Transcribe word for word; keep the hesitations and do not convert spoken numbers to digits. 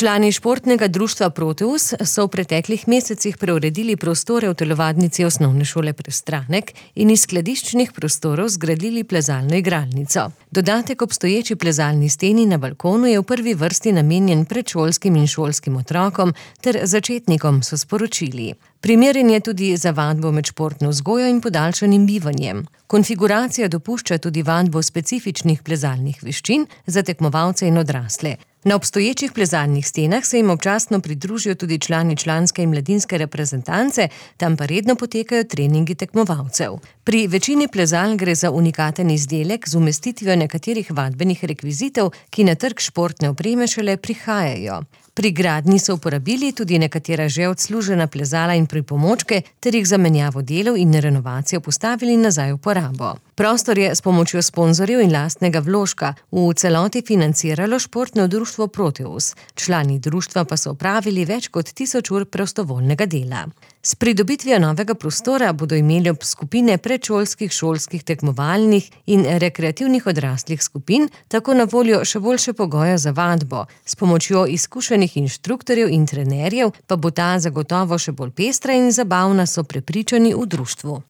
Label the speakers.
Speaker 1: Člani športnega društva Proteus so v preteklih mesecih preuredili prostore v telovadnici osnovne šole Prestranek in iz skladiščnih prostorov zgradili plezalno igralnico. Dodatek obstoječi plezalni steni na balkonu je v prvi vrsti namenjen predšolskim in šolskim otrokom ter začetnikom, so sporočili. Primeren je tudi za vadbo med športno vzgojo in podaljšanim bivanjem. Konfiguracija dopušča tudi vadbo specifičnih plezalnih veščin za tekmovalce in odrasle. Na obstoječih plezalnih stenah se jim občasno pridružijo tudi člani članske in mladinske reprezentance, tam pa redno potekajo treningi tekmovalcev. Pri večini plezal gre za unikaten izdelek z umestitvijo nekaterih vadbenih rekvizitov, ki na trg športne opreme šele prihajajo. Pri gradnji so uporabili tudi nekatera že odslužena plezala in pripomočke ter jih za menjavo delov in renovacijo postavili nazaj v uporabo. Prostor je s pomočjo sponzorjev in lastnega vložka v celoti financiralo športno društvo Proteus. Člani društva pa so opravili več kot tisoč ur prostovoljnega dela. S pridobitvijo novega prostora bodo imeli ob skupine predšolskih, šolskih, tekmovalnih in rekreativnih odraslih skupin tako na voljo še boljše pogoje za vadbo. S pomočjo izkušenih inštruktorjev in trenerjev pa bo ta zagotovo še bolj pestra in zabavna, so prepričani v društvu.